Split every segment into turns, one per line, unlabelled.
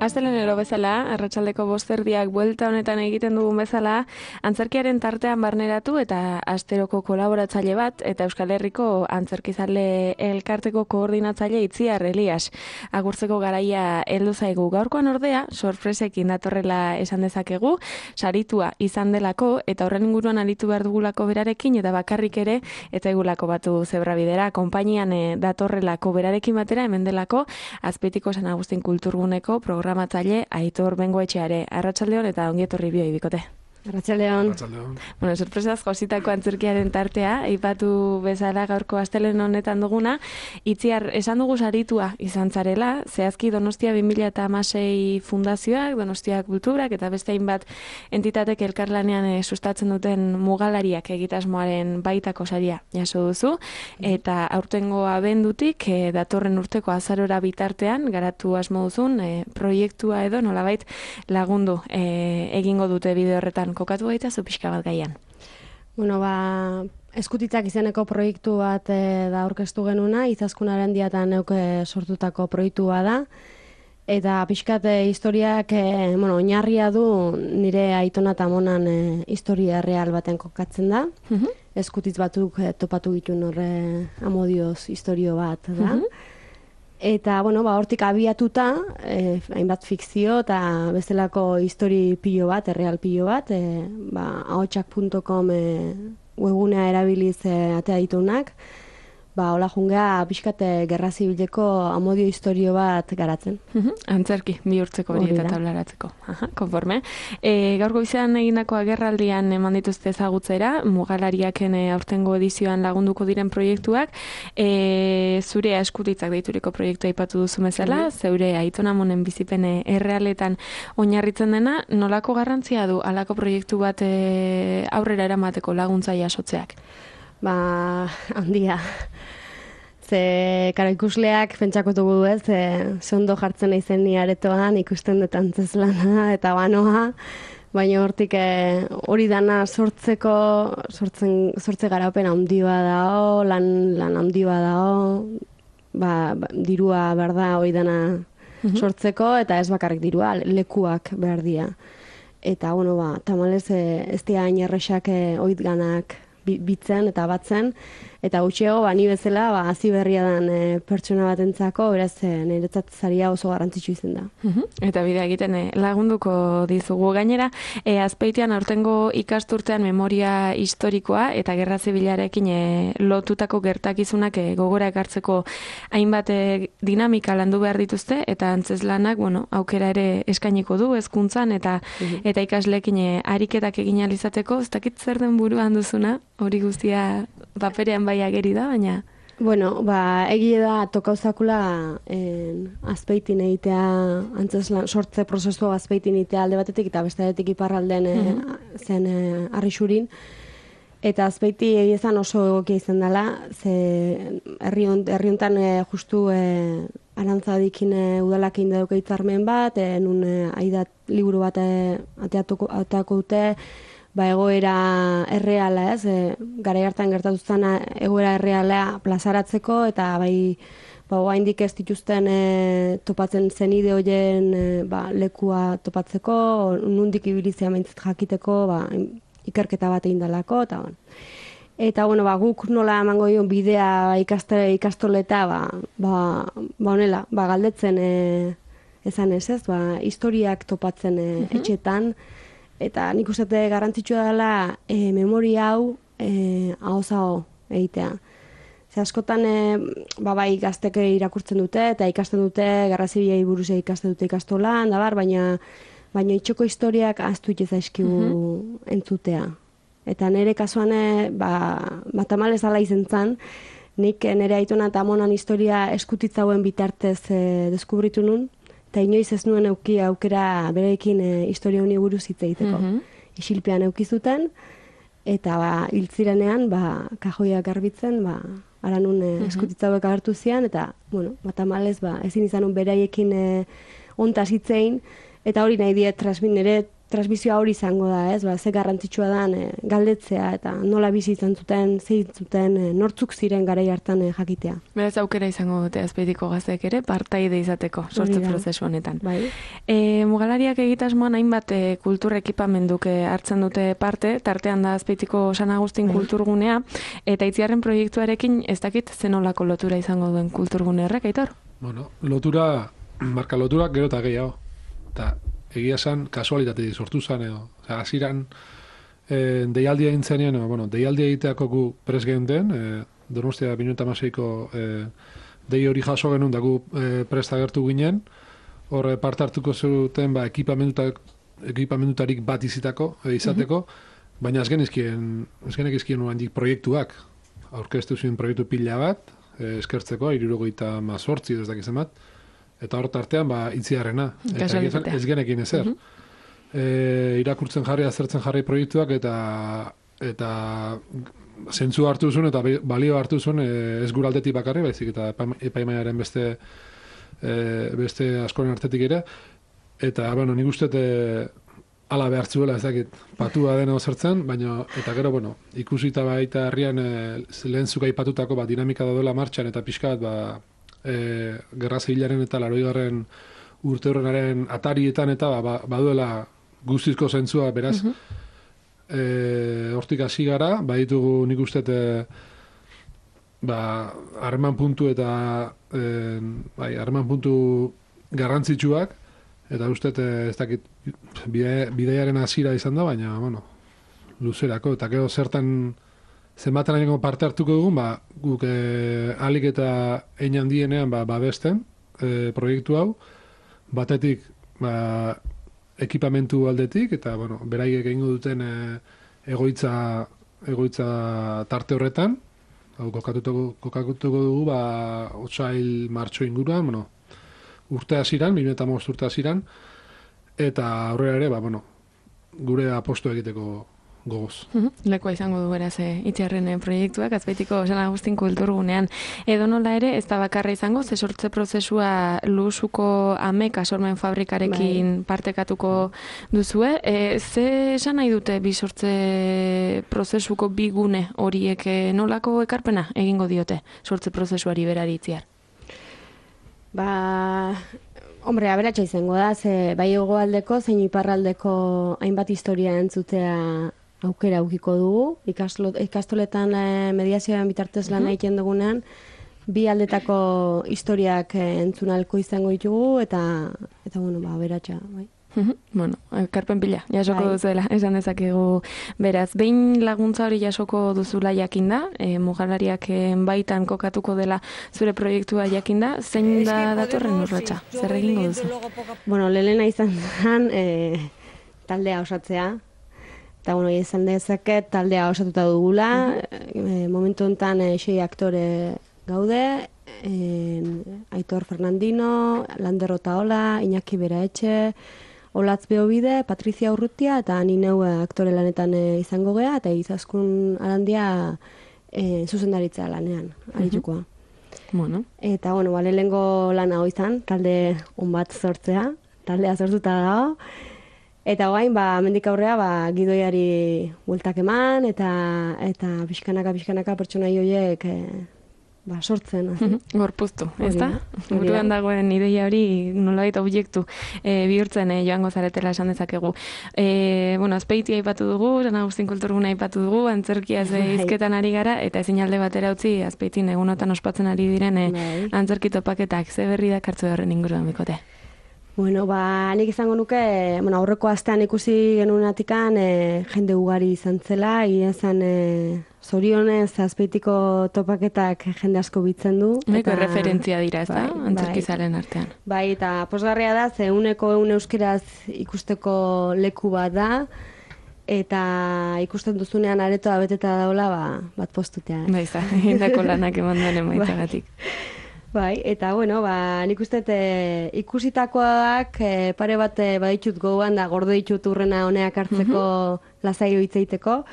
Astelenero bezala, arratsaldeko 5:00 buelta honetan egiten dugun bezala, antzerkiaren tartean barneratu eta asteroko kolaboratzaile bat eta Euskal Herriko antzerkizale elkarteko koordinatzaile Itziar Elias. Agurtzeko garaia heldu zaigu. Gaurkoan ordea, sorpresekin datorrela esan dezakegu, saritua izan delako eta horren inguruan aritu behar dugulako berarekin eta bakarrik ere eta egulako batu zebrabidera. Konpainian datorrelako berarekin batera hemen delako Azpeitiko San Agustin Kulturguneko programatzaile Aitor Bengoetxeare. Arratsaldeon eta ongi etorri bioi bikote.
Arratsaldeon.
Bueno, sorpresaz jositako antzerkiaren tartea, aipatu bezala gaurko astelen honetan duguna, Itziar, esan dugu saritua izan zarela, zehazki Donostia 2016 fundazioak, Donostia Kulturak eta beste hainbat entitatek elkarlanean sustatzen duten mugalariak egitasmoaren baitako saria jaso duzu, eta aurtengo abendutik datorren urteko azarora bitartean garatu asmo duzun proiektua edo nolabait lagundu egingo dute bide horretan. Kokatu gaitazu pixka bat gaian.
Bueno, Eskutitzak izeneko proiektu bat da aurkeztu genuna, Izaskun diatan neuke sortutako proiektua da, eta pixkat historiak oinarria du nire aitona eta amonan historia real baten kokatzen da. Eskutitz batzuk topatu ditun horre amodioz historio bat da. Eta, hortik abiatuta, hainbat fikzio eta bestelako histori pilo bat, erreal pilo bat, ahotsak.com webgunea erabiliz atea ditunak, hola jungea pixkate gerra zibileko amodio historio bat garatzen.
Antzerki, bihurtzeko hori eta tablaratzeko. Konforme. Gaurko izan egindako agerraldian eman dituzte ezagutzera, mugalariaken aurtengo edizioan lagunduko diren proiektuak, zure Eskutitzak deituriko proiektua aipatu duzu bezala, zeure aitonamonen bizipen errealetan oinarritzen dena, nolako garrantzia du halako proiektu bat aurrera eramateko laguntza jasotzeak?
Handia. Ze, ikusleak pentsako dugu ez, zondo jartzen naizen ni aretoan, ikusten dut antzeslana eta banoa, baina hortik hori dana sortze garapen handi bat dao, lan handi bat dao, dirua behar da hori dana sortzeko, eta ez bakarrik dirua, lekuak behar dira. Eta, tamalez ez dira hain erresak oit ganak bitzen eta batzen, eta gutxiago, ni bezala, hazi berria den pertsona batentzako, beraz, niretzat zaria oso garrantzitsu izan da.
Eta bidea egiten lagunduko dizugu. Gainera, Azpeitian aurtengo ikasturtean memoria historikoa eta gerra zibilarekin lotutako gertakizunak gogora ekartzeko hainbat dinamika landu behar dituzte, eta antzeslanak, aukera ere eskainiko du hezkuntzan eta ikasleekin ariketak egin ahal izateko, ez dakit zer den buruan duzuna, hori guztia paperean bai ageri da, baina...
Egia da tokauzakula Azpeitin egitea, antzeslan sortze prozesua Azpeitin egitea alde batetik eta bestetik iparralden zen Arrixurin. Eta Azpeiti egiezan oso egokia izan dela, ze herri hontan justu Arantzadikin udalak egin dauka hitzarmen bat, nun aidat liburu bat ateako dute, egoera erreala, ez, garai hartan gertatu zen egoera erreala plazaratzeko, eta oraindik ez dituzten topatzen zenide horien lekua topatzeko, nondik ibilizia maintzat jakiteko, ikerketa bat egin dalako, eta guk nola emango dion bidea ikastoleta, honela, galdetzen ezan ez, historiak topatzen etxetan, eta nik uste garrantzitsua dela memoria hau ahoz-aho egitea. Ze askotan gaztek irakurtzen dute eta ikasten dute, gerra zibilei buruz ikasten dute ikastolan, baina itxoko historiak ahaztu zaizkigu entzutea. Eta nire kasuan tamalez ala izan zen, nik nire aitona eta amonan historia eskutitzauen bitartez deskubritu nun, eta inoiz ez nuen euki aukera berekin historia honi buruz hitz egiteko. Isilpean eukizuten, eta hiltzirenean, kajoiak garbitzen, ara nun eskutitzauek agertu zian, eta, tamalez, ezin izan nun beraiekin ontaz hitzein, eta hori nahi diet nire transmisioa hori izango da, ez? Ba, ze garrantzitsua dan galdetzea eta nola bizi izan zuten, nortzuk ziren garai hartan jakitea.
Beraz aukera izango dute Azpeitiko gazteek ere partaide izateko sortze prozesu honetan.
Bai.
Mugalariak egitasmoan hainbat kultur ekipamenduk hartzen dute parte, tartean da Azpeitiko San Agustin kulturgunea, eta Itziarren proiektuarekin ez dakit zenolako lotura izango duen kulturgune horrek, Aitor?
Bueno, lotura gero eta gehiago. Eta egia esan kasualitatea sortu zen edo. Hasieran deialdia egintzenean, deialdia egiteako gu pres geunden, Donostia 2016ko dei hori jaso genuen da gu prest agertu ginen, hor parte hartuko zuten ekipamendutarik bat izateko, baina ez genezkien handik proiektuak, aurkeztu zuen proiektu pila bat, eskertzeko, 78 ez dakizen bat, eta hor tartean Itziarrena. Ez genekin ezer. Irakurtzen jarri, azertzen jarri proiektuak eta zentzu hartu zuen eta balio hartu zuen ez gure aldetik bakarri, baizik eta epaimaiaren beste askoren artetik ere. Eta, nik uste ala behartzuela ez dakit patua dena ozertzen, baina, eta gero, ikusita baita herrian lehen zuka ipatutako dinamika daudela martxan eta pixka bat, gerra zibilaren eta 80. urte horrenaren atarietan eta baduela guztizko zentzua, beraz, hortik hasi gara, baditugu nik uste harreman puntu eta harreman puntu garrantzitsuak, eta uste ez dakit bideiaren hasiera izan da, baina, luzerako, eta gero zertan zenbaten haineko parte hartuko dugun, guk alik eta hein handienean babesten proiektu hau, batetik ekipamentu aldetik, eta, beraiek egingo duten egoitza tarte horretan, kokatuko dugu, otsail martxo inguruan, urte hasieran, 2015 urte hasieran, eta aurrera ere, gure aposto egiteko gogoz.
Lekoa izango du beraz Itziarren proiektuak Azpeitiko San Agustin kulturgunean. Edo nola ere, ez da bakarra izango, ze sortze prozesua Luzuko Ameka sormen fabrikarekin partekatuko duzue. Ze esan nahi dute bi sortze prozesuko bi gune horiek nolako ekarpena egingo diote sortze prozesuari berari Itziar?
Aberatsa izango da, ze bai hegoaldeko zein iparraldeko hainbat historia entzutea aukera aukiko dugu. Ikastoletan mediazioaren bitartez lan egiten dugunean, bi aldetako historiak entzunalko izango ditugu, eta aberatsa, bai.
Ekarpen pila, jasoko duzuela, esan dezakegu beraz. Behin laguntza hori jasoko duzula jakinda, Mugalariak baitan kokatuko dela zure proiektua jakinda, zein da datorren urratsa? Zer egingo duzu?
Lehena izan zen taldea osatzea, eta izan dezaket taldea osatuta dugula, momentu honetan 6 aktore gaude, Aitor Fernandino, Lander Otaola, Iñaki Beraetxe, Olatz Beobide, Patrizia Urrutia, eta ni neu aktore lanetan izango gea, eta Izaskun Arandia zuzendaritza lanean, aritukoa. Eta, lehenengo lana hoi izan, talde bat sortzea, taldea sortuta dago, eta guain, mendik aurrea, gidoiari bueltak eman, eta pixkanaka pertsonai horiek sortzen.
Gorpuztu, ez da? Buruan dagoen ideia hori nolabait objektu bihurtzen joango zaretela esan dezakegu. Azpeitia aipatu dugu, San Agustin kulturguna aipatu dugu, antzerkiaz hizketan ari gara, eta ezin alde batera utzi Azpeitin egunotan ospatzen ari diren antzerki topaketak, ze berri dakartzu horren inguruan bikote?
Nik izango nuke, aurreko astean ikusi genuenatikan jende ugari izan zela, izan zorionez Azpeitiko topaketak jende asko bitzen du.
Referentzia dira, ez da, antzerkizaren artean.
Bai, eta posgarria da, ze 100% euskeraz ikusteko leku bat da, eta ikusten duzunean aretoa beteta daula, bat postutea.
Bai, indako lanak eman duen emaitzagatik.
Bai, eta nik uste ikusitakoak pare bat baditut gogoan da gordo ditut urrena honeak hartzeko lasaio hitzeiteko.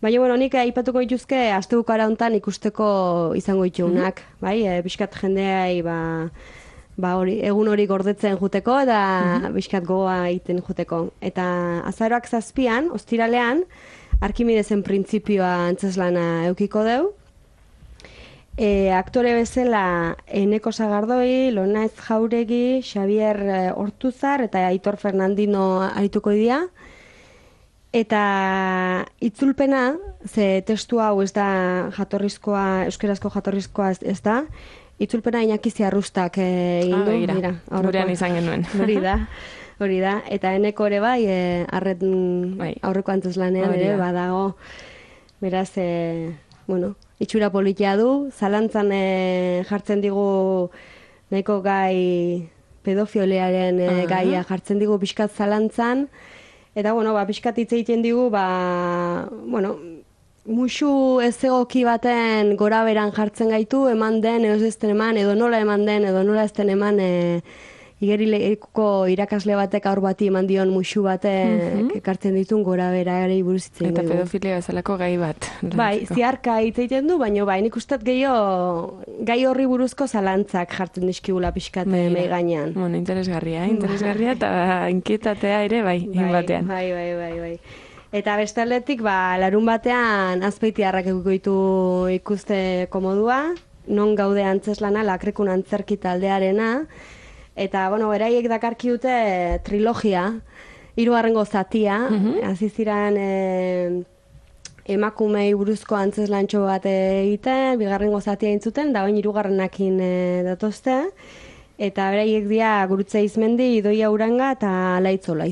Baina, nik aipatuko dituzke astebukara hontan ikusteko izango ditugunak, bai? Pixkat jendeai, hori, egun hori gordetzen juteko eta bizkat gogoa egiten juteko. Eta azaroak 7, ostiralean, Arkimidesen printzipioa antzeslana eukiko deu. Aktore bezala Eneko Sagardoi, Lonaiz Jauregi, Xavier Hortuzar eta Aitor Fernandino arituko dira. Eta itzulpena, ze testu hau ez da jatorrizkoa, euskerazko jatorrizkoa ez da, itzulpena Iñaki Ziarrustak egin du.
Begira, gurean izan genuen.
Hori da. Eta Eneko ere bai, aurreko antzeslanean ere badago. Beraz, itxura politia du, zalantzan jartzen digu nahiko gai pedofiliaren gaia jartzen digu pixkat zalantzan, eta pixkat hitz egiten digu, musu ez egoki baten gora beran jartzen gaitu, eman den, edo ez den eman, edo nola eman den, edo nola ez den eman, igerileko irakasle batek aur bati eman dion musu batek ekartzen ditun gora bera ere buruz
eta pedofilia bezalako gai bat.
Bai, ziarka hitz egiten du, baina nik ustet gehiago gai horri buruzko zalantzak jartzen dizkigula pixkat mei gainean.
Interesgarria eta inkietatea ere bai, batean.
Bai. Eta bestaldetik, larun batean Azpeitiarrak eduko ditu ikuste komodua, non gaude antzeslana, Lakrekun antzerki taldearena, eta, beraiek dakarki dute trilogia, 3. zatia, hasi ziren emakumei buruzko antzeslantxo bat egiten, 2. zatia intzuten, da bain 3. datozte, eta beraiek dira Gurutze Izmendi, Idoia Uranga eta Laizola.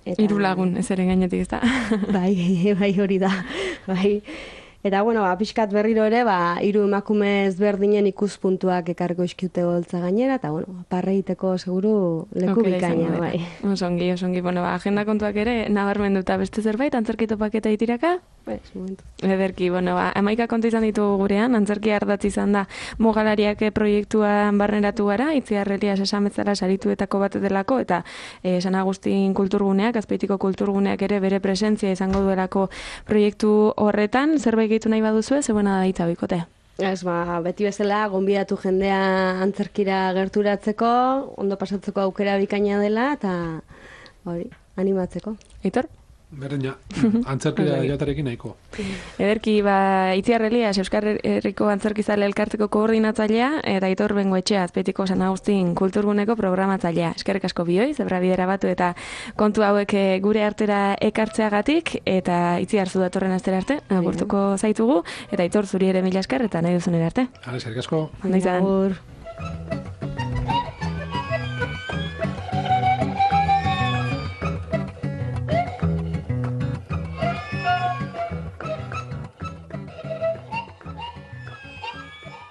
3 lagun, ez ere gainetik ez da.
Bai, hori da. Bai. Eta, pixkat berriro ere, 3 emakume ezberdinen ikuspuntuak ekarko iskiute goltza gainera, eta, parreiteko seguru leku bikaina, bai.
Osongi, agenda kontuak ere, nabarmenduta beste zerbait, antzerki topaketa itiraka?
Momentu.
Ederki, 11 kontu izan ditugu gurean, antzerki ardatz izan da Mogalariak proiektuan barneratu gara, Itziar Elias esan bezala sarituetako bat delako, eta San Agustin kulturguneak, Azpeitiko kulturguneak ere bere presentzia izango duelako proiektu horretan, zerbait gehitu nahi baduzue, zebuena da hitza bikote.
Ez, beti bezala, gonbidatu jendea antzerkira gerturatzeko, ondo pasatzeko aukera bikaina dela, eta animatzeko.
Aitor?
Berdina, antzerkira joatarekin nahiko.
Ederki, Itziar Elias, Euskal Herriko Antzerkizale Elkarteko koordinatzailea, eta Aitor Bengoetxea, Azpeitiko San Agustin kulturguneko programatzailea. Eskerrik asko bioi, zebra bidera batu eta kontu hauek gure artera ekartzeagatik, eta Itziar zu datorren astera arte, agurtuko zaitugu, eta Aitor zuri ere mila esker, eta nahi duzunera arte.
Eskerrik asko.
Ondo izan.